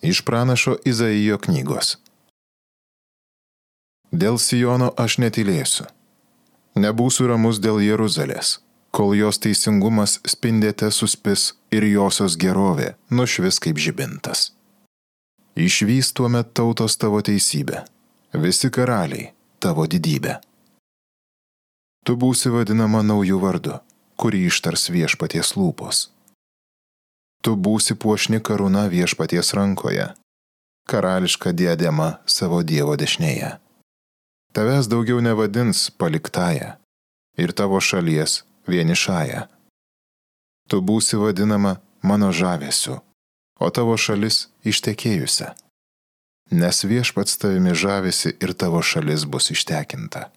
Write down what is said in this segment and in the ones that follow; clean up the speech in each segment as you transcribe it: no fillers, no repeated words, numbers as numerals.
Iš pranašo Izaijo knygos. Dėl Siono aš netylėsiu. Nebūsiu ramus dėl Jeruzalės, kol jos teisingumas spindėte suspis ir josios gerovė nušvis kaip žibintas. Išvys tuomet tautos tavo teisybę, visi karaliai tavo didybę. Tu būsi vadinama naujų vardu, kurį ištars viešpaties lūpos. Tu būsi puošni karūna viešpaties rankoje, karališka diadema savo Dievo dešinėje. Tavęs daugiau nevadins paliktąja ir tavo šalies vienišąja. Tu būsi vadinama mano žavesiu, o tavo šalis ištekėjusia. Nes viešpats tavimi žavisi ir tavo šalis bus ištekinta.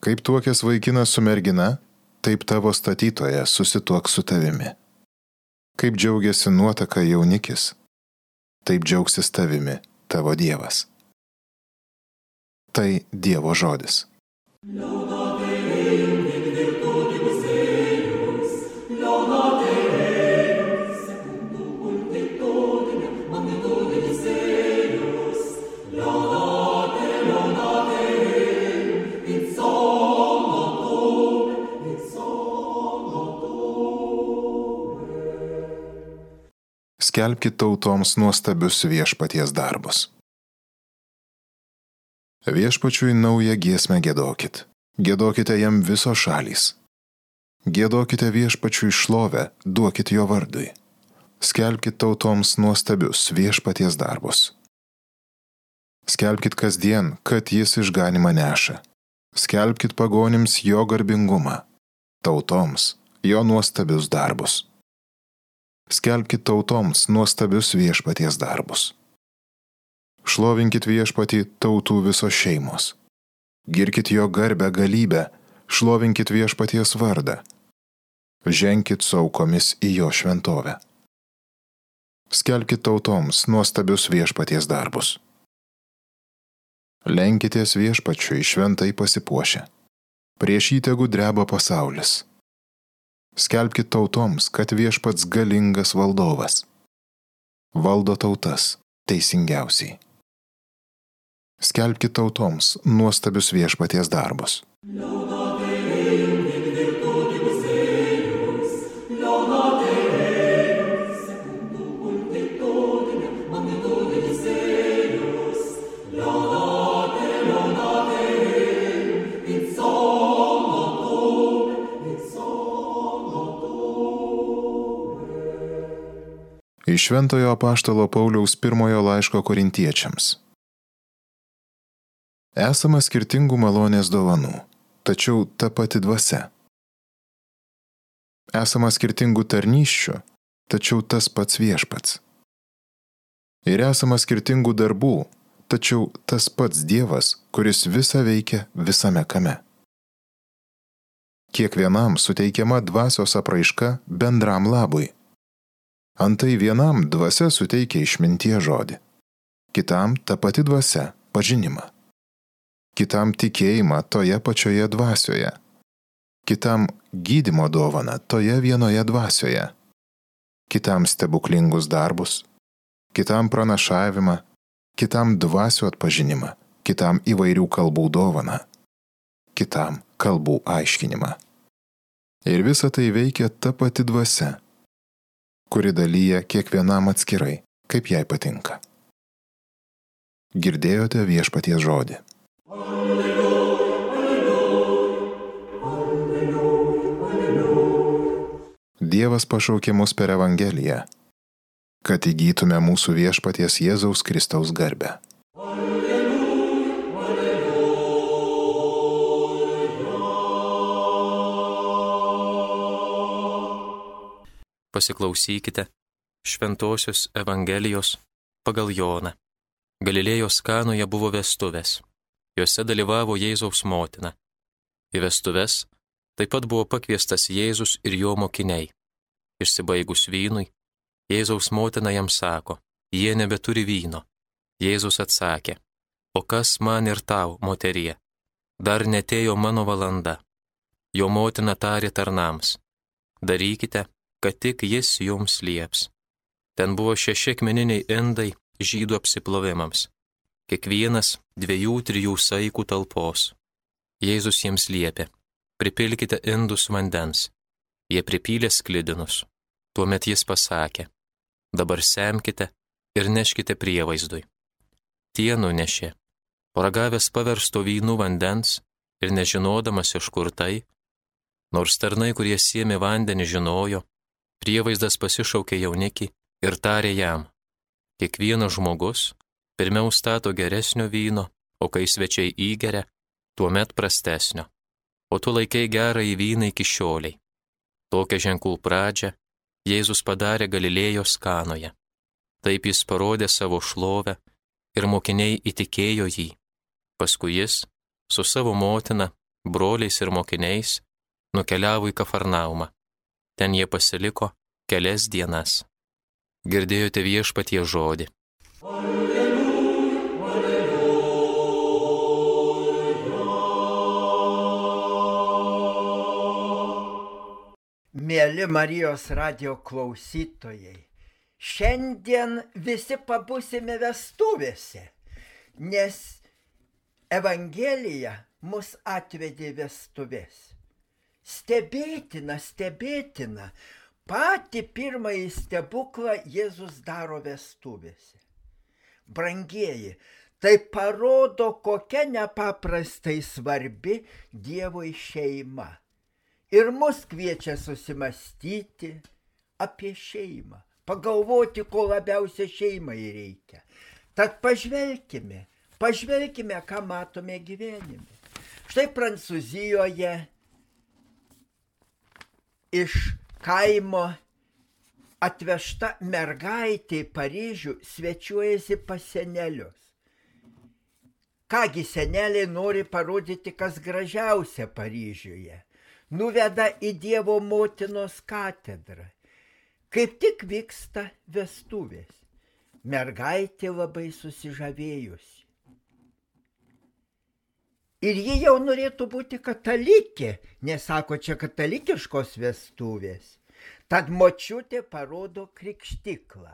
Kaip tuokęs vaikinas su mergina, taip tavo statytojas susituoks su tavimi. Kaip džiaugiasi nuotaka jaunikis, taip džiaugsis tavimi tavo Dievas. Tai Dievo žodis. Skelbkit tautoms nuostabius viešpaties darbus. Viešpačiui naują giesmę giedokit. Giedokite jam visos šalys. Giedokite viešpačiui šlovę, duokit jo vardui. Skelbkit tautoms nuostabius viešpaties darbus. Skelbkit kasdien, kad jis išganymą neša. Skelbkit pagonims jo garbingumą, tautoms jo nuostabius darbus. Skelbkit tautoms nuostabius viešpaties darbus. Šlovinkit viešpatį tautų visos šeimos. Girkit jo garbę galybę, šlovinkit viešpaties vardą. Ženkit su aukomis į jo šventovę. Skelbkit tautoms nuostabius viešpaties darbus. Lenkitės viešpačiui šventai pasipuošę. Prieš jį tegu dreba pasaulis. Skelbkit tautoms, kad viešpats galingas valdovas. Valdo tautas teisingiausiai. Skelbkit tautoms nuostabius viešpaties darbus. Iš Šventojo apaštalo Pauliaus pirmojo laiško korintiečiams. Esama skirtingų malonės dovanų, tačiau ta pati dvasia. Esama skirtingų tarnysčių, tačiau tas pats viešpats. Ir esama skirtingų darbų, tačiau tas pats Dievas, kuris visą veikia visame kame. Kiekvienam suteikiama dvasios apraiška bendram labui. Antai vienam dvasia suteikia išminties žodį, kitam ta pati dvasia pažinimą, kitam tikėjimą toje pačioje dvasioje, kitam gydymo dovaną toje vienoje dvasioje, kitam stebuklingus darbus, kitam pranašavimą, kitam dvasių atpažinimą, kitam įvairių kalbų dovaną, kitam kalbų aiškinimą. Ir visa tai veikia ta pati dvasia, kuri dalyja kiekvienam atskirai, kaip jai patinka. Girdėjote viešpaties žodį. Dievas pašaukė mus per Evangeliją, kad įgytume mūsų viešpaties Jėzaus Kristaus garbę. Pasiklausykite Šventosios Evangelijos pagal Joną. Galilėjos Kanoje buvo vestuvės. Jose dalyvavo Jėzaus motina. Į vestuves taip pat buvo pakviestas Jėzus ir jo mokiniai. Išsibaigus vynui, Jėzaus motina jam sako, jie nebeturi vyno. Jėzus atsakė, o kas man ir tau, moterie? Dar netėjo mano valanda. Jo motina tarė tarnams, darykite, kad tik jis jums lieps. Ten buvo 6 akmeniniai indai žydų apsiplovimams, kiekvienas 2-3 saikų talpos. Jėzus jiems liepė: pripilkite indus vandens. Jie pripylė sklidinus. Tuomet jis pasakė: dabar semkite ir neškite prievaizdui. Tie nunešė. Paragavęs paversto vynu vandens ir nežinodamas iš kur tai, nors tarnai, kurie sėmė vandenį, žinojo, prievaizdas pasišaukė jaunikį ir tarė jam: kiekvienas žmogus pirmiau stato geresnio vyno, o kai svečiai įgeria, tuomet prastesnio. O tu laikei gerąjį vyną iki šioliai. Tokią ženklų pradžią Jėzus padarė Galilėjos Kanoje. Taip jis parodė savo šlovę ir mokiniai įtikėjo jį. Paskui jis su savo motina, broliais ir mokiniais nukeliavo į Kafarnaumą. Ten jie pasiliko kelias dienas. Girdėjote Viešpaties žodį. Mėly Marijos radijo klausytojai, šiandien visi pabūsime vestuvėse, nes Evangelija mus atvedė vestuvės. Stebėtina, patį pirmąjį stebuklą Jėzus daro vestuvėse. Brangieji, tai parodo, kokia nepaprastai svarbi Dievui šeima. Ir mus kviečia susimastyti apie šeimą, pagalvoti, ko labiausiai šeimai reikia. Tad pažvelkime, ką matome gyvenime. Štai Prancūzijoje iš kaimo atvežta mergaitė į Paryžių svečiuojasi pas senelius. Kągi seneliai nori parodyti, kas gražiausia Paryžiuje. Nuveda į Dievo motinos katedrą. Kaip tik vyksta vestuvės. Mergaitė labai susižavėjusi. Ir ji jau norėtų būti katalikė, nes sako, čia katalikiškos vestuvės. Tad močiutė parodo krikštiklą.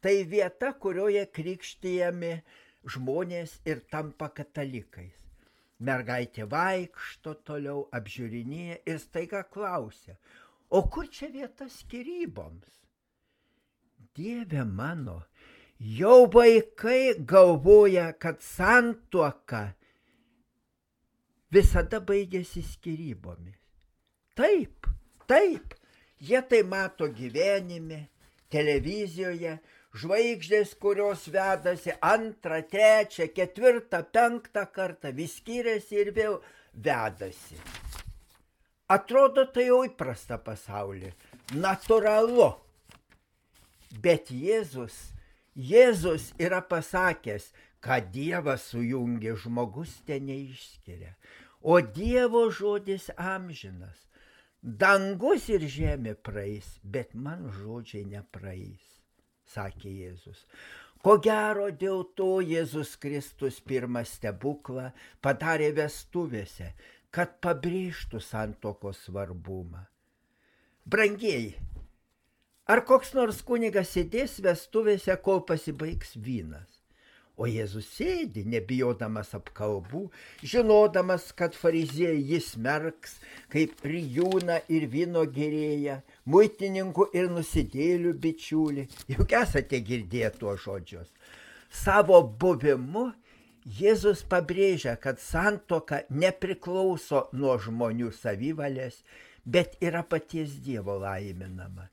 Tai vieta, kurioje krikštijami žmonės ir tampa katalikais. Mergaitė vaikšto toliau, apžiūrinėja ir staiga klausia: o kur čia vieta skyryboms? Dieve mano, jau vaikai galvoja, kad santuoka visada baigėsi skyrybomis. Taip, jie tai mato gyvenime, televizijoje, žvaigždės, kurios vedasi 2, 3, 4, 5 kartą, vis skiriasi ir vėl vedasi. Atrodo, tai jau įprasta pasaulyje, natūralu. Bet Jėzus yra pasakęs, kad Dievas sujungia, žmogus ten neišskiria. O Dievo žodis amžinas. Dangus ir žemė praeis, bet man žodžiai nepraeis, sakė Jėzus. Ko gero dėl to Jėzus Kristus pirmą stebuklą padarė vestuvėse, kad pabrėžtų santuokos svarbumą. Brangieji, ar koks nors kunigas sėdės vestuvėse, kol pasibaigs vynas? O Jėzus sėdi, nebijodamas apkalbų, žinodamas, kad fariziejai jis smerks, kaip rijūną ir vyno gėrėją, muitininkų ir nusidėlių bičiulį. Juk esate girdėję tuos žodžius. Savo buvimu Jėzus pabrėžia, kad santuoka nepriklauso nuo žmonių savivalės, bet yra paties Dievo laiminama.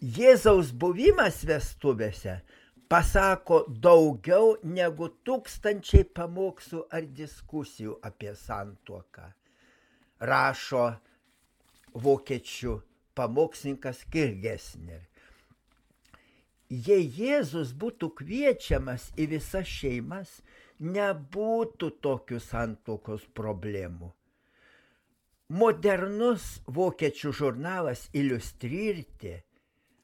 Jėzaus buvimas vestuvėse pasako daugiau negu 1000 pamokslų ar diskusijų apie santuoką, rašo vokiečių pamokslininkas Kirgesner. Jei Jėzus būtų kviečiamas į visas šeimas, nebūtų tokių santuokos problemų. Modernus vokiečių žurnalas Iliustrierte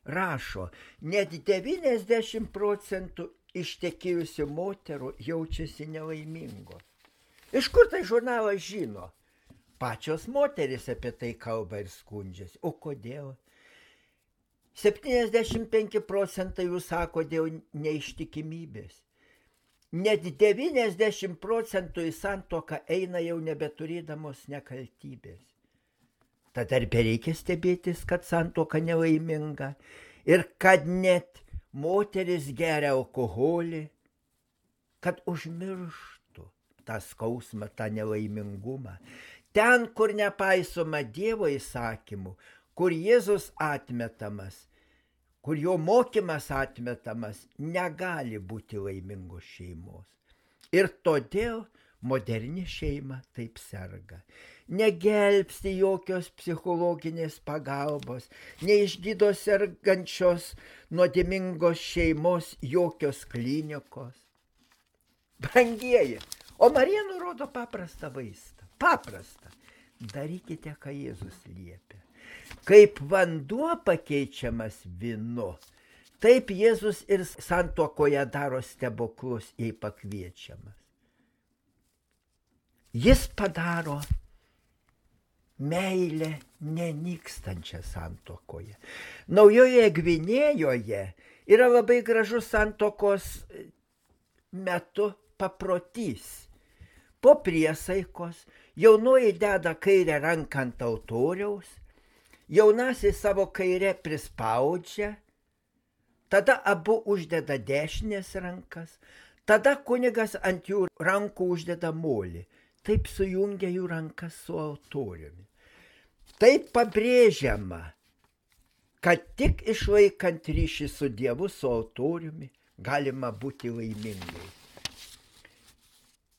rašo, net 90% ištekėjusių moterų jaučiasi nelaimingos. Iš kur tai žurnalas žino? Pačios moterys apie tai kalba ir skundžiasi. O kodėl? 75 procentai jų sako dėl neištikimybės. Net 90 procentų į santuoką eina jau nebeturėdamos nekaltybės. Tad ar bereikia stebėtis, kad santuoka nelaiminga ir kad net moteris geria alkoholį, kad užmirštų tą skausmą, tą nelaimingumą. Ten, kur nepaisoma Dievo įsakymų, kur Jėzus atmetamas, kur jo mokymas atmetamas, negali būti laimingos šeimos. Ir todėl moderni šeima taip serga. Negelbsti jokios psichologinės pagalbos, neišgydo sergančios nuodėmingos šeimos jokios klinikos. Brangieji, o Marija nurodo paprastą vaistą. Paprastą. Darykite, ką Jėzus liepia. Kaip vanduo pakeičiamas vynu, taip Jėzus ir santuokoje daro stebuklus, jei pakviečiamas. Jis padaro meilę nenykstančią santuokoje. Naujoje Gvinėjoje yra labai gražus santuokos metu paprotys. Po priesaikos jaunoji deda kairę ranką ant altoriaus, jaunasis savo kairę prispaudžia, tada abu uždeda dešinės rankas, tada kunigas ant jų rankų uždeda molį. Taip sujungia jų rankas su altoriumi. Taip pabrėžiama, kad tik išlaikant ryšį su Dievu, su altoriumi, galima būti laimingai.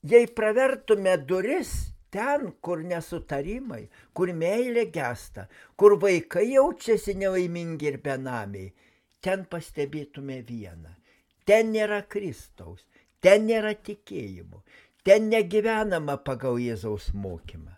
Jei pravertume duris ten, kur nesutarimai, kur meilė gęsta, kur vaikai jaučiasi nelaimingi ir benamiai, ten pastebėtume vieną. Ten nėra Kristaus, ten nėra tikėjimo, ten negyvenama pagal Jėzaus mokymą.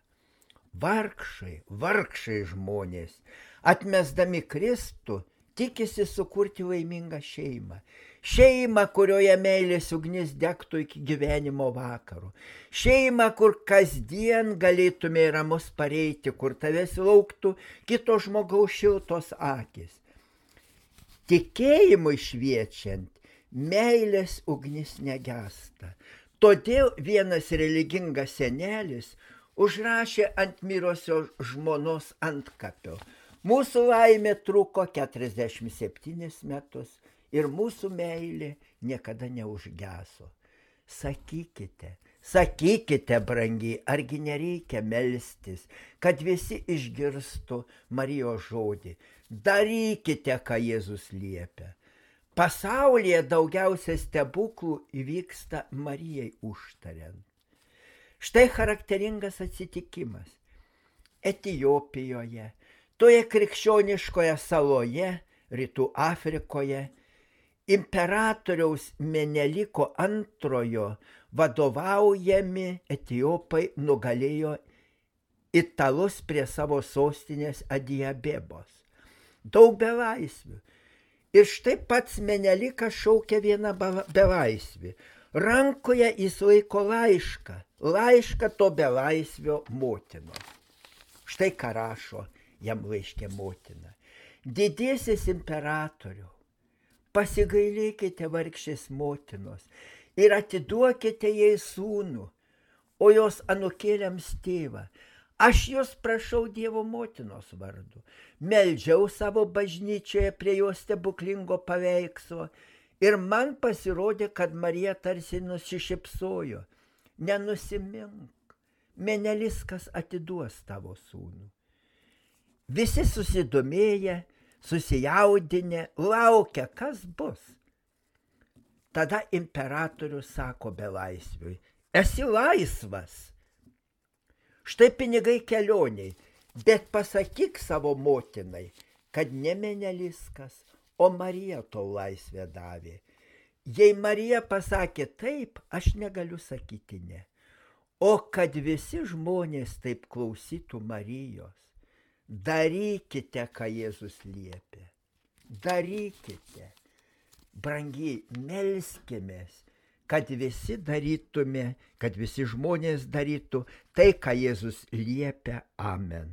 Vargšai žmonės, atmesdami Kristų, tikisi sukurti laimingą šeimą. Šeimą, kurioje meilės ugnis degtų iki gyvenimo vakaro. Šeimą, kur kasdien galėtume ramus pareiti, kur tavęs lauktų kito žmogaus šiltos akis. Tikėjimui šviečiant, meilės ugnis negęsta. Todėl vienas religingas senelis užrašė ant mirosios žmonos antkapio: mūsų laimė truko 47 metus ir mūsų meilė niekada neužgeso. Sakykite, brangiai, argi nereikia melstis, kad visi išgirstų Marijos žodį. Darykite, ką Jėzus liepia. Pasaulyje daugiausia stebuklų įvyksta Marijai užtariant. Štai charakteringas atsitikimas. Etiopijoje, toje krikščioniškoje saloje, Rytų Afrikoje, imperatoriaus Meneliko II vadovaujami etiopai nugalėjo italus prie savo sostinės Adijabebos. Daug belaisvių. Ir štai pats Menelikas šaukia vieną belaisvį. Rankoje jis laiko laišką to belaisvio motinos. Štai ką rašo jam laiške motina. Didiesis imperatoriau, pasigailėkite vargšės motinos ir atiduokite jai sūnų, o jos anūkėliams tėvą. Aš jūs prašau Dievo motinos vardu. Meldžiau savo bažnyčioje prie jos stebuklingo paveikslo ir man pasirodė, kad Marija tarsi nusišypsojo. Nenusimink, Meneliskas atiduos tavo sūnų. Visi susidomėję, susijaudinę, laukia, kas bus. Tada imperatorius sako belaisviui: esi laisvas. Štai pinigai kelioniai, bet pasakyk savo motinai, kad ne Meneliskas, o Marija tau laisvę davė. Jei Marija pasakė taip, aš negaliu sakyti ne. O kad visi žmonės taip klausytų Marijos, darykite, ką Jėzus liepė. Darykite. Brangiai, melskimės, kad visi darytume, kad visi žmonės darytų tai, ką Jėzus liepia. Amen.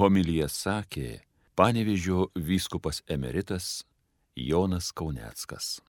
Homiliją sakė Panevėžio vyskupas emeritas Jonas Kauneckas.